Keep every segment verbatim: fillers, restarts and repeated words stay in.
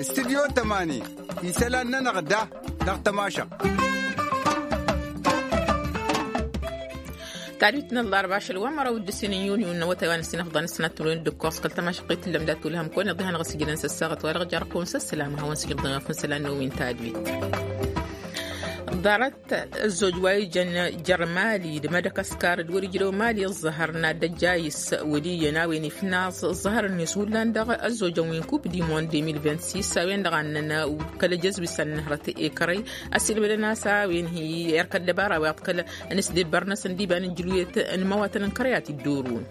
Studyo tămani isălan-nănăɣ da dăɣ-tămašăɣt. Tadwit n-ăllarba ašăl wa măraw d-ǝssin n-yunyu n-awătay wa n-ǝssin afḍan ǝssin ad-tǝmrǝwen d-ǝkkoẓ kăl-tămašăɣt i-tǝllăm dat-tulhăm kăwăn-iḍihan ɣas ijǝlăn s-ăssaɣăt wa dăɣ-jarrăkăwăn s-ăslam hawăn-sǝjǝbḍăn wa făn isălan n-ewin tadwit. Ḍarăt ăzzoj wa ijăn jer-mali d-madakaskar d-wăr-ijrăw mali ăẓẓăhăr n-ad-ăjja a-s wăl' iyyăn a-wen ifnaẓ ăẓẓăhărăn-net hullan dăɣ-ăzzojăn wi n-kup dimond de mil vint-sis a-wen-dăɣ a ǝnnăn kăl-ejăzwi s-ad-nǝhrăt i-kărăy ăsilmădăn a-s a-wen hi-erk ăddăbara wa iḍkăl n-asdebăr-năsăn d-iba n-ǝjjǝluyăt n-imawatăn n-kărăy a t-dd-orǝwăn.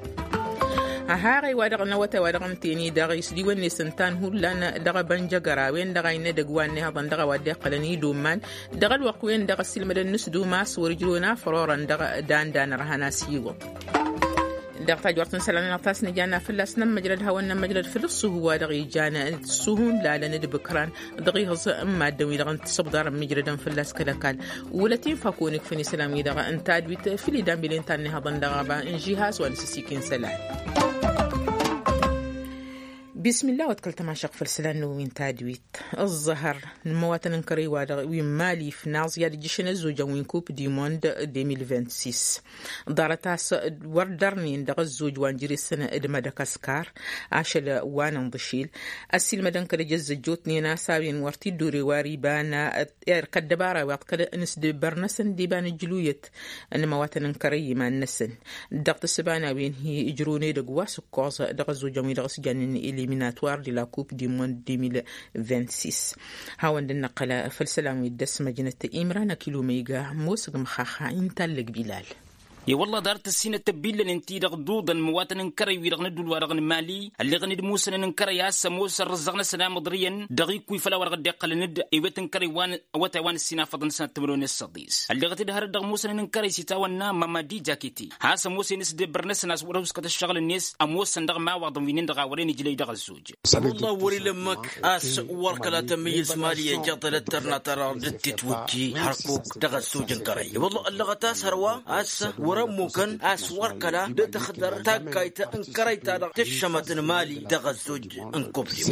Aha ɣăy-wa-dăɣ n-awătay wa dăɣ-ǝntăyăn-i-dăɣ isdiwăn-net ǝnta n-hullan dăɣ-abănjăgăr a-wen-dăɣ a innă edăgg wa n-ehăḍăn dăɣ-a-wa dd-iqqălăn idoman dăɣ-ălwăqq-wen-dăɣ ăssiilmădăn n-asdum a-s wăr-ǝjrăwăn afăr orăn dăɣ-dan-dan ărhan a-s iwǝḍ. Dăɣ-tajwărt n-isălan-nănăɣ ta s-nǝjanna fălla-s nămmăjrăd hawăn-nămmăjrăd făll-ǝṣṣuhu wa dăɣ-ijan ǝṣṣuhu n-lalăn d-bǝkran dăɣ-ihǝẓ n-maddǝn-wi-dăɣ n-tisǝbḍarăn mǝjrădăn fălla-s kăl-ăkall. Wălăt infa kăwăn-ikfǝn isălan-wi-dăɣ n-tadwit făll-idan bile n-tannihăḍăn dăɣ-aba n-žihaz wa n-asǝsik-in isălan. Bismillah wa t-kăl-tămašăɣt făll-isălan n-ewwin tadwit. Ăẓẓăhăr n-imăwatăn n-kărăy wa dăɣ-wi n-mali ifnaẓ i-ad-ǝjjǝšăn ăzzojăn wi n-kup dimond de mil vint-sis. Ḍarăt a-s wăr dărnen dăɣ-ăzzoj wa n-jere-săn d-madakaskar ašăl wa n-inḍǝšil ăssiilmădăn kăl-ejăzzăjjotnen a-s a-wen wăr t-dd-ore wa ăriba n-erk ăddăbara wa iḍkăl n-asdebăr-năsăn d-iba n-ǝjluyăt n-imăwatăn n-kărăy iman-năsăn. Dăɣ-tǝssǝba n-a-wen hi-ǝjrǝwăn edăgg wa s-ǝkkoẓ dăɣ-ăzzojăn-wi-dăɣ s-jannen eliminatoire de la coupe du monde de mil vint-sis. Hawăn-dd-năqqăl făll-isălan wi dd-ăsmăjnăt imran akil umăyga ămoosăg măxaxa intallăg bilal. I-wălla ḍarăt ǝssinăt tăbbillăn ǝnta-i-dăɣ duḍăn imăwatăn n-kărăy-wi-dăɣ n-ădduul-wa-dăɣ n-mali ălleɣăn-dd musănăn n-kărăy a-s ămoos ărrǝzzăɣ-năsăn amǝḍrǝyăn dăɣ-ikkuy făll-a-wa-dăɣ dd-iqqălăn-dd ewet n-kărăy wa n-awătay wa n-ǝssin afăḍăn sănăt timǝrwen s-săḍis. Ălleɣăt-dd hărăt dăɣ-musănăn n-kărăy s-itawănna mamadi jakiti a-s ămoosăn s-dd-ebbăr-năsăn a-s wăr-ăwskăt ǝššăɣǝl-net ămoosăn dăɣ-imawaḍăn wi-nin-dăɣ a wărăn ijlăy dăɣ-ăzzoj. Wălla wăr-ila ǝmmǝk a-s wăr kăla tămmăyyǝs mali ija tălăttărna ta-dăɣ dd-titwǝjji hărkuk dăɣ-ăzzoj n-kărăy. Wălla ăllăɣăt a-s hărwa a-s wăr-ămmukăn a-s wăr kăla dd-tăxdăr taggayt n-kărăy-ta-dăɣ tǝššămăt n-mali dăɣ-ăzzoj n-kubli.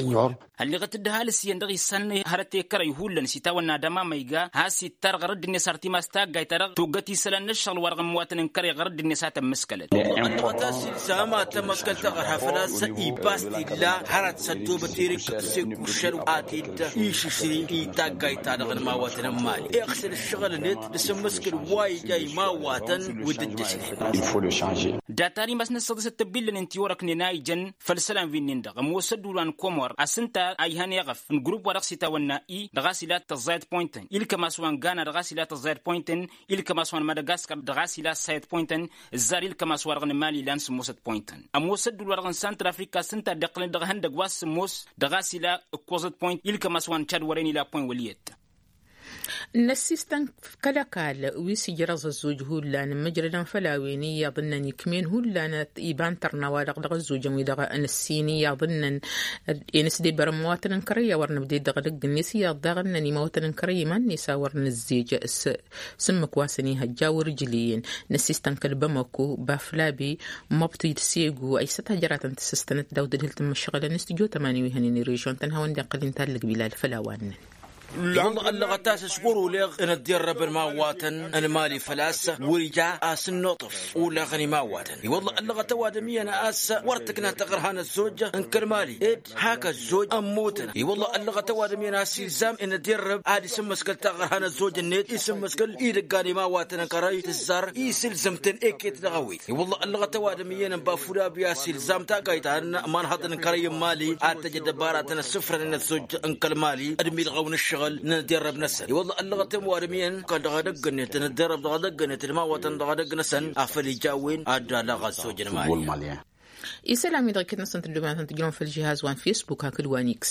Ălleɣăt-dd ăhalǝs iyyăn dăɣ-issan hărăt i-kărăy hullan s-itawănna dămamăyga a-s ittar ɣărădd-net ar timas taggayt-ta-dăɣ toggăt isălan n-ǝššăɣǝl-wa-dăɣ n-imǝwatăn n-kărăy ɣărădd-net a tămmǝskălăt. Ălleɣăt a-s ilzam ad-tămăkkăl taɣărha făl-a-s ibas t-illa hărăt s-ăddobăt erek s-ekuššăl ad-t-dd-išǝšri i-taggayt-ta-dăɣ n-imawatăn n-mali iɣsǝl ǝššăɣǝl-net d-asǝmmǝskǝl wa ija imawatăn wi dd-ǝjjǝsnen. Data n-imas n-ăssăḍisăt tăbbillăn ǝnta i-orăknen a ijăn făll-isălan wi-nin-dăɣ ămoos ădduul wa n-komor a-s ǝnta a ihăn eɣăf n-grupp wa dăɣ-s itawănna i dăɣ-a-s ila tăẓẓayăt pointăn ilkăm a-s wa n-gana dăɣ-a-s ila tăẓẓayăt pointăn ilkăm a-s wa n-madagaskar dăɣ-a-s ila ǝssayăt pointăn ǝzzar ilkăm a-s wa-dăɣ n-mali ilan sǝmmosăt pointăn ămoos ădduul wa-dăɣ n-santral afrika a-s ǝnta a dd-iqqălăn dăɣ-ihăndăg wa s-sǝmmos dăɣ-a-s ila ǝkkoẓăt point ilkăm a-s wa n-cad wăren ila point wăl' iyyăt. N-ăssiistăn kăl-ăkall wi s-ijrăẓ ăzzoj hullan n-imǝjrădăn făll-a-wen iyyăḍ ǝnnăn ikm'-en hullan iba n-tărna wa-dăɣ dăɣ-ăzzojăn wi-dăɣ n-ǝssin iyyăḍ ǝnnăn i-nǝsdebăr n-imawatăn n-kărăy a wăr nǝbded dăɣ-edăgg-net iyyăḍ daɣ ǝnnăn imawatăn n-kărăy iman-net a wăr nǝzzej s-ǝmmǝk wa săn ihăjja wăr-ǝjlǝyăn. N-ăssiistăn kăl-bamako baflabi măbtid segu ăysăt hăjăratăn tǝssǝstănăt daw-dd-ǝdhǝl tǝmmǝššăɣǝlăn s-tijo tămani wi hănen irežon-tăn hawăn-dd-iqqăl inta ăllăg bilal făll-a-wa ǝnnăn. I-wălla ăllăɣăt a-s s-wăr-oleɣ n-ăddirrăbăn imawatăn n-mali făl-a-s wăr-ija a-s n-nuṭṭăf oleɣăn imawatăn. I-wălla ăllăɣăt ăwadǝm iyyăn a-s wăr tǝkna taɣărha n-ăzzoj n-kăl-mali ed hak ăzzoj ămmutăn. I-wălla ăllăɣăt ăwadǝm iyyăn a-s ilzam n-ăddirrăb ad-isǝmmǝskăl taɣărha n-ăzzoj-net isǝmmǝskăl idăggan imawatăn n-kărăy tǝzzar isǝlzăm-tăn eket dăɣ-ewet. I-wălla ăllăɣăt ăwadǝm iyyăn n-bafud abi a-s ilzam taggayt ta n-imanhăḍăn n-kărăy n-mali ad-tăj ăddăbaratăn ăssǝfrănen ăzzoj n-kăl-mali d-milɣăw n-ǝššăɣǝl n-ăddirrăb-năsăn. I-wălla ăllăɣăt ăwadǝm iyyăn kăl-dăɣ edăgg-net n-ăddirrăb dăɣ-edăgg-net d-imawatăn dăɣ-edăgg-năsăn afăl ija a-wen ad-dd-alăɣ ăzzoj n-mali. Isălan-wi-dăɣ iket-năsăn tǝddǝm-năsăn tǝjrăwăn făll-žihaz wa n-fesbuk hakd wa n-iks.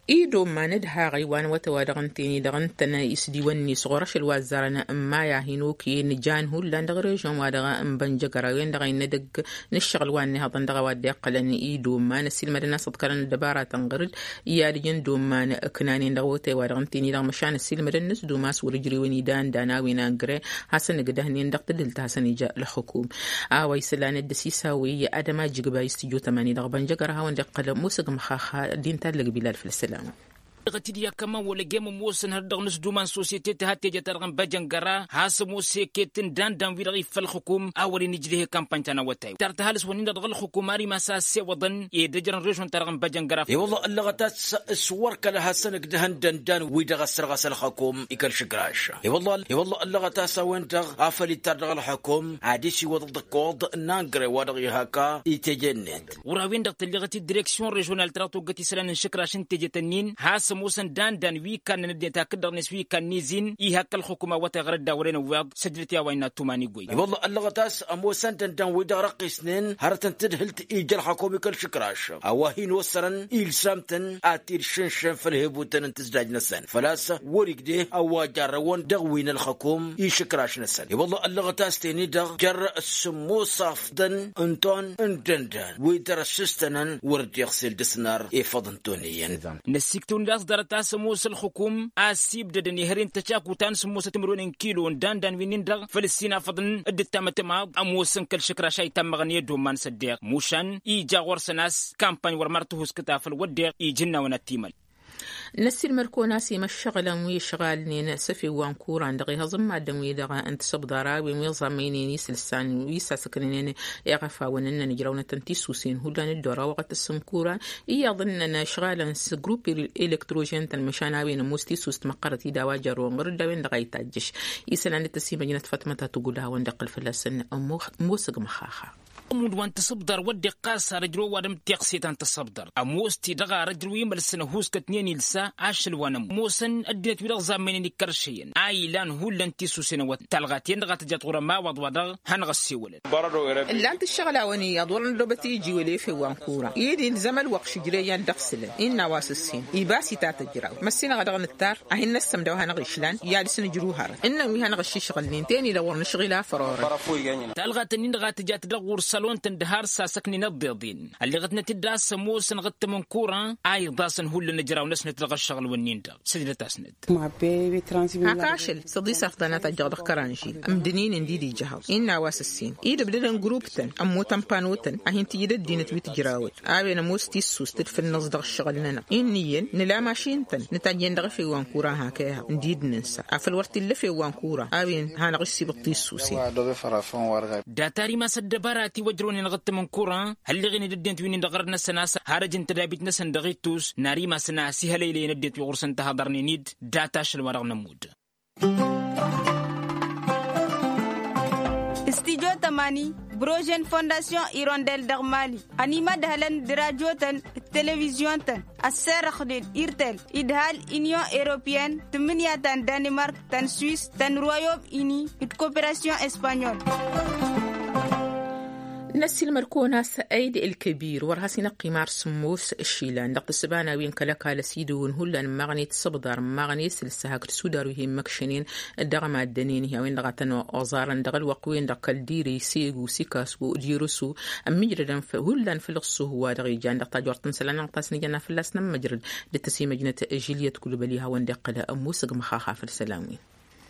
I-dd-omman d-haɣ iwan wătăwa dăɣ-ǝnta-en-i-dăɣ ǝntăn isdiwăn-net ɣur-ašăl wa ăzzarăn n-maya hin-okăyăn jan hullan dăɣ-režyon-wa-dăɣ n-bănjăgăra-wen-dăɣ a innă edăgg n-ǝššăɣǝl wa n-ihăḍăn dăɣ-a-wa dd-iqqălăn i-dd-omman ăssiilmădăn a-s ǝḍkărăn ăddăbaratăn ɣǝr-dd i-ad-ǝjǝn dd-omman ǝknanen dăɣ-awătay-wa-dăɣ ǝnta-en-i-dăɣ măšan ăssiilmădăn n-s d-umas wăr-ǝjrewăn idan-dan a-wen angre hasăn-ǝgdăhnen dăɣ-tǝdhǝlt hasăn-ija ălxukum. A-wa isălan dd-ăsisaw i-ad-ămajjǝgbay s-tijot ămani dăɣ-bănjăgăra a hawăn-dd-iqqăl musǝg măxaxa. Dd-inta ăllăg bilal făll-ăssălam. Dăɣ-t-dd-i-ad-kămăn wăla ăjjeen ămoosăn hărăt dăɣ-nǝsdum n-sosyete tǝha teje-ta-dăɣ n-băjăngăra has-ămoos i-eket n-dan-dan-wi-dăɣ iffa ălxukum a wăren ijleh i-kampany ta n-awătay tar-t ăhalǝs-wăn-in-dăɣ dăɣ-ălxukum ar imas a ăssewăḍăn i-dd-ăjrăn režon-ta-dăɣ n-băjăngăra. I-wălla ăllăɣăt a-s s-wăr kăla hasăn-ǝgdăhăn dăndan-wi-dăɣ ăssărɣas ălxukum i-kăl-išǝkraš. I-wălla i-wălla ăllăɣăt a-s a-wen-dăɣ afăl ittar dăɣ-ălxukum ad-isiwăḍ d-ǝkkoḍ n-angre wa dăɣ-ihaka i-teje-net. Ɣur-a-wen-dăɣ tălleɣăt-dd direksyon režional ta dăɣ-toggăt isălan n-išǝkraš n-tejet-ǝnnin has-ămoosăn dan-dan wi kannăn ăddinăt hakd-dăɣ-net wi kannăn izin ihak ălxukum awătay ɣur-dd a wăren ǝwweḍ săjdăt i-a-wa innă ăttuman igwăy. I-wălla ăllăɣăt a-s ămoosăn dan-dan-wi-dăɣ răqqisnen hărătăn tǝdhǝlt ija ălxukum i-kăl-išǝkraš a-wa hin-osărăn ilsam-tăn ad-t-dd-šǝnšăn făll-hebutăn n-tǝzjaj-năsăn făl-a-s wăr-igdeh a-wa jarrăwăn dăɣ-wi n-ălxukum išǝkraš-năsăn. I-wălla ăllăɣăt a-s ten-i-dăɣ jer-sǝmmos afḍăn n-ton n-dăndăn wi dăr-ăssǝstănăn wăr dd-iɣsel dăr-s n-ar efăḍ n-ton iyyăn. Năsiktǝwăn-dd a-s ḍarăt a-s ămoos ălxukum a ăssiibdădăn ihăre n-tăcaku ta n-sǝmmosăt timǝrwen n-kilo n-dandan wi-nin-dăɣ făll-ǝssin afăḍăn d-ǝttamăt ămaḍ ămoosăn kăl-išǝkraš a itamăɣăn i-ăddoman s-ăddeɣ mušan ija ɣur-săn a-s kampany wăr mad-tǝhuskǝt afăl wăddeɣ ija ǝnnawăn ad-t-imăl. Năssiilmăd-kăwăn a-s imăššăɣǝlăn wi ǝšɣalnen s-efew wa n-kuran dăɣ-ehăẓ n-maddǝn-wi-dăɣ n-tisǝbḍar a-wen wi ăẓamăynen isǝlsan wi sasăknănen iɣăfawăn ǝnnăn ǝjrawnătăn tisusen hullan dd-orăwăɣăt s-n-kuran iyyăḍ ǝnnăn ǝšɣalăn s-grup elektrožen-tăn măšan a-wen ămoos tisust măqqărăt-i d-a-wa jărrăwăn ɣur-dd a-wen-dăɣ a ităjjăš isălan d-tăsimăjnăt fatmăta tugǝl a hawăn-dd-iqqǝl fălla-săn. Ămoosăg măxaxa. Ămudd wa n-tisǝbḍar wădden ɣas ar ǝjrăw ăwadǝm tiɣse ta n-tisǝbḍar ămoos-t-i-dăɣ ar ǝjrăw imălsăn ăhuuskătnen ilsa ašăl wa n-ămoosăn ăddinăt-wi-dăɣ zammăynen ikăršăyăn a ilan hullan tisusen ăwăt talɣat-en-dăɣ a tǝjat ɣur-ămawaḍ-wa-dăɣ hanăɣ-ăssewălăn. Ǝllan-t ǝššăɣǝl-awăn iyyăḍ wăr-nǝllobăt iji wăla efew wa n-kura i-dd-ilzăm ălwăqq šǝjreyăn dăɣ-sǝlăn innă a-wa s-ǝssin ibas-i ta tǝjraw măssinăɣ a dăɣ-nǝttar a hin-năssăm d-a-wa hanăɣ-išlan i-ad-dăɣ-s nǝjrǝw hărăt ǝnnăn wi hanăɣ-ǝššišɣǝlnen ten-i-dăɣ wăr nǝšɣǝl afărorăn. Talɣat-ǝnnin-dăɣ a tǝjat dăɣ-ɣur-sălon-tăn d-har sasăknen ăḍḍeḍen ălleɣătnăt-dd a-s ămoosăn ɣǝttăm n-kuran a iḍasăn hullan ǝjraw-năsnăt dăɣ-ăššăɣǝl-wǝnnin-dăɣ sǝjdăt-asnăt. Hak ašăl s-ăḍis afḍăn a tajjăɣ dăɣ-kăranžil ǝmdǝn-in ǝndi d-ija hawăn-innă a-wa s-ǝssin idǝbdădăn grup-tăn ămmut ămpanotăn a hin-tǝjǝd ăddinăt wi tǝjrawăt a-wen ămoos tissust d-făll-năẓ dăɣ-ǝššăɣǝl-nănăɣ inn'-iyyăn nǝla mašin-tăn nǝtajjen dăɣ-efew wa n-kura hak ehăɣ ǝndi d-nǝnsa afăl wăr t-illa efew wa n-kura a-wen hanăɣ-issibǝḍ tissusen. Data ar imas ăddăbara a tiwăjrăwnen ɣǝttăm n-kura hălleɣen-dd ăddinăt wi-nin-dăɣ ɣărăt-năsăn a-s har ăj n-tădabit-năsăn dăɣ-ittus n-ar imasăn a ăsihălăylăyăn ăddinăt wi ɣur-săn tăhăḍărnen-dd. Data ašăl wa dăɣ-nămudd. Stijo tămani brožen fondasyon irondel dăɣ-mali ănimădhălăn d-rajo-tăn d-televizyon-tăn ăssărăxnen irtel idhal inyon europeyăn tǝmmǝnǝya ta n-danimark ta n-swis ta n-royom ini d-koperasyon espanyol. Năssiilmăd-kăwăn a-s ăyd ălkăbir wăr has-inăqqim ar sǝmmos išilan dăɣ-tǝssǝba n-a-wen kăl-ăkall ăsidǝwǝn hullan n-imaɣne tǝssǝbḍar n-imaɣne s-ǝlsăhak d-sudar wi he-immăkšănen dăɣ-maddănen-hi a-wen-dăɣ a tăn-oẓarăn dăɣ-ălwăqq-wen-dăɣ kăl-dire segu sikasu d-irusu ămmijrădăn hullan făll-ǝṣṣuhu wa dăɣ-ijan dăɣ-tajort n-isălan-nănăɣ ta s-nǝjănna fălla-s n-ămmăjrăd d-tăsimăjnăt žiliyăt kulbăli hawăn-dd-iqqăl ămmusǝg măxaxa făll-isălan-wi.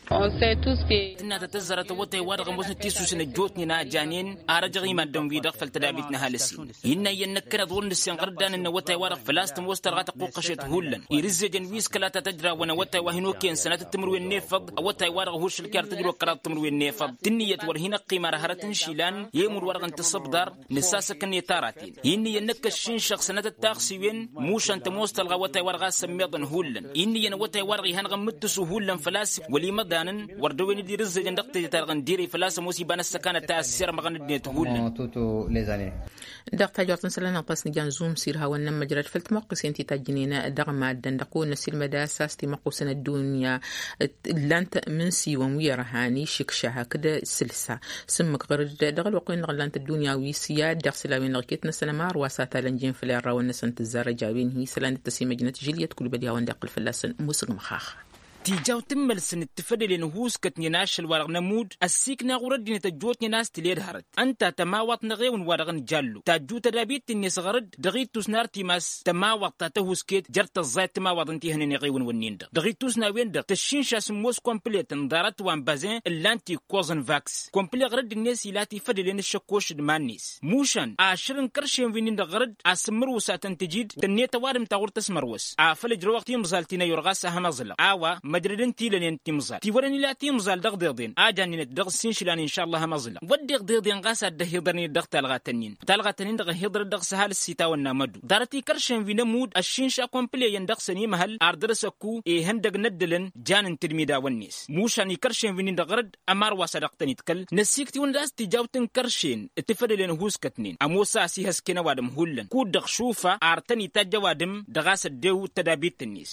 Tǝnna ta tăzzarăt awătay-wa-dăɣ ămoosnăt tisusen ăjjootnen a janen ar ăjăɣ i-maddǝn-wi-dăɣ făll-tădabit n-ăhalǝs-in innă iyyăn năkkăneḍ wăr nǝssin ɣăr dd-anǝnnă awătay-wa-dăɣ făl-a-s tămoos talɣa tăqquqqăšet hullan irǝzzejăn wi s-kăla ta tăjrawăn awătay wa hin-okăyăn sănatăt timǝrwen n-efăḍ awătay-wa-dăɣ ăhuššǝl kăy-ar tǝjrăw ăkkăraḍ timǝrwen n-efăḍ tǝnniyăt wăr hin-ăqqim ar hărăt n-išilan i-imǝnwa-dăɣ n-tisǝbḍar nǝsasăkăn i-taraten. Innă iyyăn năkkăššinšăɣ sănatăt taɣsiwen mušan tămoos talɣa awătay-wa-dăɣ a-s ămmiḍăn hullan innă iyyăn awătay-wa-dăɣ ihănăɣ-ǝmmǝttǝsu hullan făl-a-s wăl-imăḍa. ănn wăr dăw-en dd-irǝzzejăn dăɣ-teje-ta-dăɣ n-direy făl-a-s ămoos iba n-ăssăkanăt a ăssiirmăɣăn ăddinăt hullan. Dăɣ-tajort n-isălan n-aɣtas n-ijan zumsir hawăn-nămmăjrăd făll-timăqqisen ti tajjǝnen dăɣ-maddăn dăɣ-kăwăn-năsilmăd a-s a-s timăqqusăn ăddunya. Ǝllan-t mǝnsiwăn wi ărhan išǝkša hakd sǝlsa s-ǝmmǝk ɣăr-dd dăɣ-ălwăqq-wen-dăɣ ǝllan-t ăddunya wi s-i-ad-dăɣ isălan-wen-dăɣ iket-năsăn ămar wa s-ad-talăn jen făll-irrawăn-năsăn tǝzzarăj a-wen hi-isălan d-tăsimăjnăt žiliyăt kulbăd i-hawăn-dd-iqqǝl fălla-săn musǝgmăx. Tijaw tǝmmălsăn d-tifădălen ăhuuskătnen ašăl-wa-dăɣ n-ămudd ăssiikna ɣur-ăddinăt ăjjootnen a-s tǝled hărăt ǝnta tămawaḍt n-eɣewǝn-wa-dăɣ n-jallo tajju tădabit-net ɣăr-dd dăɣ-ittus n-artimas tămawaḍt ta tăhusket jer-tăẓẓayăt timawaḍ n-tihănen eɣewǝn-wǝnnin-dăɣ dăɣ-ittus n-a-wen-dăɣ tăššinša s-ǝmmos kămplet n-ḍarăt wa n-bazen ǝllan-t ikkos n-vaks. Kămplet ɣur-ăddinăt ila tifădălen ăššăkkoš d-iman-net mušan ašăr n-kăršen wi-nin-dăɣ ɣur-dd asǝmmărwǝsatăn tǝjid tănnet ăwadǝm ta ɣur-tăsmărwăs afăl ǝjrăwăɣ timẓal ti n-ayur ɣas a hămăẓlăɣ a-wa măjrăd n-tilănen timẓal tiwărăn ila timẓal dăɣ-deḍen a jannen-t dăɣ-s inšǝlan inšalla hămăẓlăɣ wădden deḍen ɣas ad-dd-ăhiḍărnen dăɣ-talɣat-nin talɣat-nin-dăɣ ăhiḍărăt dăɣ-s ăhalǝs s-itawănna mădu ḍarăt-i kăršen wi n-ămudd ăššinša kămplet iyyăn dăɣ-săn imhăl ar dăr-s ăkku ihăndăg n-ăddălăn jan n-tǝdmidawăn-net mušan ikăršen wi-nin-dăɣ ɣur-dd ămar wa s-ad-dăɣ-tăn-itkăl năsiktǝwăn d-a-s tijaw tǝnkăršen d-tifădălen ăhuuskătnen ămoos a ăsihăsken ăwadǝm hullan kud-dăɣ šufa ar tăn-itajj ăwadǝm dăɣ-a-s ăddew d-tădabit-net.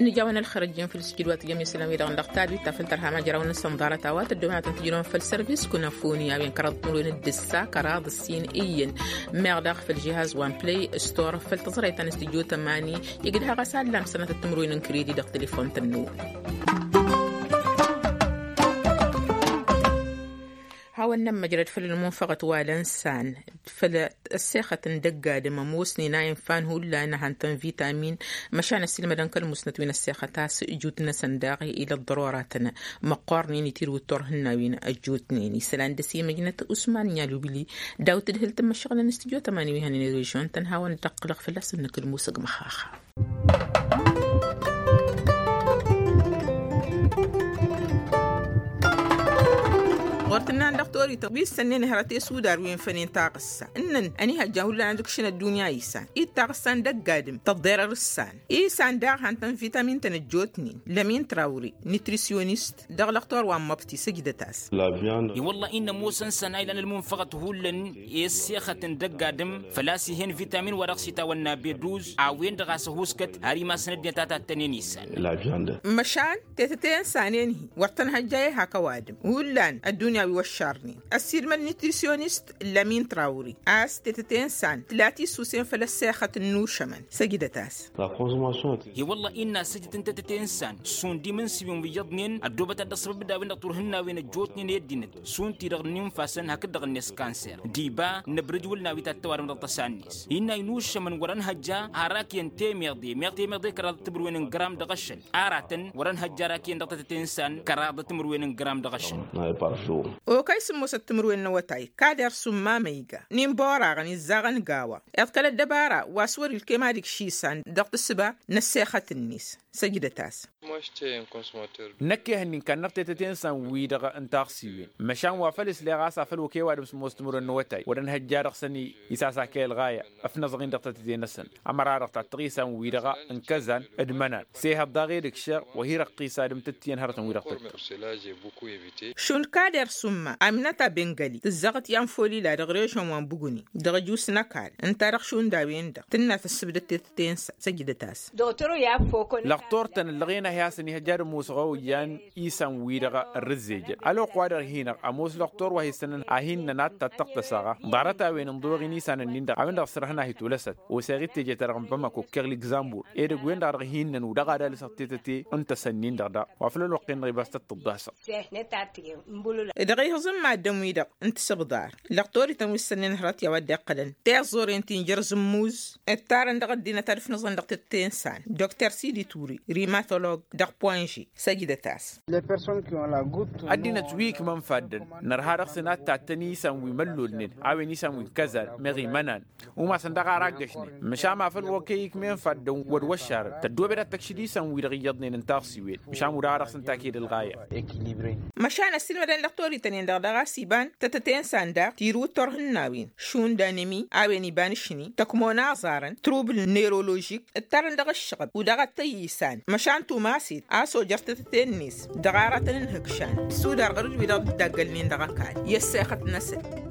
Nǝjawăn ălxer ăjjeen făll-sǝjdǝwat jăm isălan-wi-dăɣ n-dăɣ-tabit ta făll-tărha majrawăn-năsăn ḍarăt a-wa tăddoobănatăn tǝjrăwăn făll-sărvis kunăfoni a-wen kăraḍ timǝrwen d-ǝssa kăraḍ ǝssin iyyăn meɣ daɣ făll-žihaz wa n-plăy stor făll-tăẓrăyt ta n-s tǝjjo tămani. Igdăh ɣas allam sănatăt timǝrwen n-kredi dăɣ-telefon tănnu. Hawăn-nămmăjrăd făll-ălmunfăɣăt wa lănsan făll-ăssexăt n-dăgg-adǝm ămoosnen a infan hullan hantăn vitamin. Măšan ăssiilmădăn kăl-musnăt wi n-ăssexăt a-s ǝjut-năsăn daɣ ila ăḍḍăroratăn măqqoornen itirǝw d-turhǝnnawen ăjjootnen isălan dăr-s imǝjnăt usman n-ialubǝli. Daw-tǝdhǝl tǝmmăššăɣǝlăn s-tǝjot ămani wi hănen režion-tăn hawăn-dd-ăqqǝlăɣ fălla-săn nǝkǝl musǝg măxaxa. Ɣur-tǝnnan dăɣ-torităn wi s-sănnen hărăt i-sudar wi n-fănen taɣǝssa ǝnnăn ănihăjja hullan ad-ǝkšǝn ăddunya isan i-taɣǝssa n-dăgg-adǝm tăḍḍerăr ǝssan isan daɣ hantăn vitamin-tăn ăjjootnen lămin trawri nitrisyonist dăɣ-lăxtor wa n-măbti săjdăt-as. I-wălla-i n-ămoosăn săn a ilan ălmunfăɣăt hullan i-ăssexăt n-dăgg-adǝm făl-a-s ih'-en vitamin wa dăɣ-s itawănna beduz a-wen-dăɣ a-s ăhuuskăt har imasăn ăddinăt a tattănen isan. Măšan tetăte n-sanen-hi wăr tăn-hăjja i-hak ăwadǝm hullan ăddunya wi wăššarnen ăssiilmăd nitrisyonist lămin trawri a-s tetăte n-san tǝla tisusen făll-ăssexăt n-inušămăn săjdăt-as. I-wălla-i n-asǝjǝt n-tetăte n-san šund imǝnsiwen wi iyyăḍnen ăddoobăt ad-dd-ăṣṣăbăb d-a-wen-dăɣ turhǝnnawen ăjjootnen i-ăddinăt šund-ti-dăɣ n-infasen hakd-dăɣ-net kanser d-iba n-abrǝj wăl n-a-wi tattăwadăm dăɣ-tăsa-net. Innă inušămăn wăr-ănhăjja har akǝyăn temeḍe meɣ temeḍe kăraḍăt timǝrwen n-gram dăɣ-ašăl aratăn wăr-ănhăjja har akǝyăn dăɣ-tetăte n-san kăraḍăt timǝrwen n-gram dăɣ-ašăl. Okăy s-ǝmmosăt timǝrwen n-awătay kader summa ma iga n-inboraɣăn izzaɣăn gawa iḍkăl ăddăbara wa s-wăr-ilkem ad-ikš isan dăɣ-tǝssǝba n-ăssexăt-net. Săjdăt-as. Năkk ehăn-in kannăɣ tetăte n-isan-wi-dăɣ n-taɣsiwen măšan wa făl isleɣ a-s afăl okăy ăwadǝm s-ămoos timǝrwen n-awătay wăr-ănhăjja dăɣ-săn isasak i-ălɣaya. Ăfnăẓăɣ-in dăɣ-tetăte-năsăn ămăra-dăɣ tattăɣ isan-wi-dăɣ n-kăzan d-imănan s-ehăḍ daɣ edăgg šeɣ wa hi-răqqis ad-ǝmtǝttǝyăn hărătăn-wi-dăɣ tăttăɣ. Šund kader summa amnăt abengali tǝzzăɣăt i-anfolila dăɣ-režăn wa n-buguni dăɣ-ăjus n-ăkall ǝnta-dăɣ šund a-wen-dăɣ tǝnna tăssǝbdăt tetăte-năsăn săjdăt-as. Lăɣtor-tăn ǝllăɣen a hi-asăn ihăjja ad-ămoosăɣ a oyyăn isan-wi-dăɣ ărrǝzzejăn ălwăqq wa dăɣ-hin-ăɣ ămoos lăɣtor wa hi-sănăn a hin-nănat tattăɣt tăsaɣa. Ḍarăt-a-wen ǝnḍǝwăɣ-in isan-ǝnnin-dăɣ a-wen-dăɣ s-ărhăn a hi-tolăsăt osăɣ-i d-teje-ta-dăɣ n-bamako ǝkkeɣ ligzambur edăgg-wen-dăɣ dăɣ-hin-nănu dăɣ-ad-alǝsăɣ tetăte n-tăsăn-in-dăɣ daɣ wa făl ălwăqq-en-dăɣ ibas tăt-tǝḍḍasăɣ. Dăɣ-ihǝẓǝm maddǝn-wi-dăɣ n-tisǝbḍar lăqtor-ităn wi s-sănnen hărăt i-a-wa dd-iqqălăn tiẓẓoren ti n-jăr-zǝmmuz ǝttarăn dăɣ-ăddinăt ad-ǝfnăẓăn dăɣ-tătte n-isan dr sidituri rimatolog dăɣ-poinži. Săjdăt-as. Ăddinăt wi ikmăn faddăn nărha dăɣ-săn ad-tattăn isan wi măllolnen a-wen isan wi n-kăzan meɣ imănan umasăn daɣ ar aggăšnen măšan ma făl okăy ikmen faddăn wăr-wăššarăn tăddoobed ad-tăkšǝd isan-wi-dăɣ iyyăḍnen n-taɣsiwen măšan udaɣ ad-dăɣ-săn taked ălɣaya. Măšan ăssiilmădăn lăqtor. Itănen-dăɣ daɣ a-s iban tătăte n-isan daɣ tirǝwǝt turhǝnnawen šund anemi a-wen iba n-ašni tăkmon aẓarăn trubǝl neroložik ǝttarăn dăɣ-ǝššăɣǝb u-dăɣ ad-tăyyisan măšan tumaset a-s ojăr tătăte-net dăɣ-aratăn n-ihǝkšan. Sudar ɣur-dd-wi-dăɣ dd-ăggălnen dăɣ-ăkall i-ăssexăt-năsăn.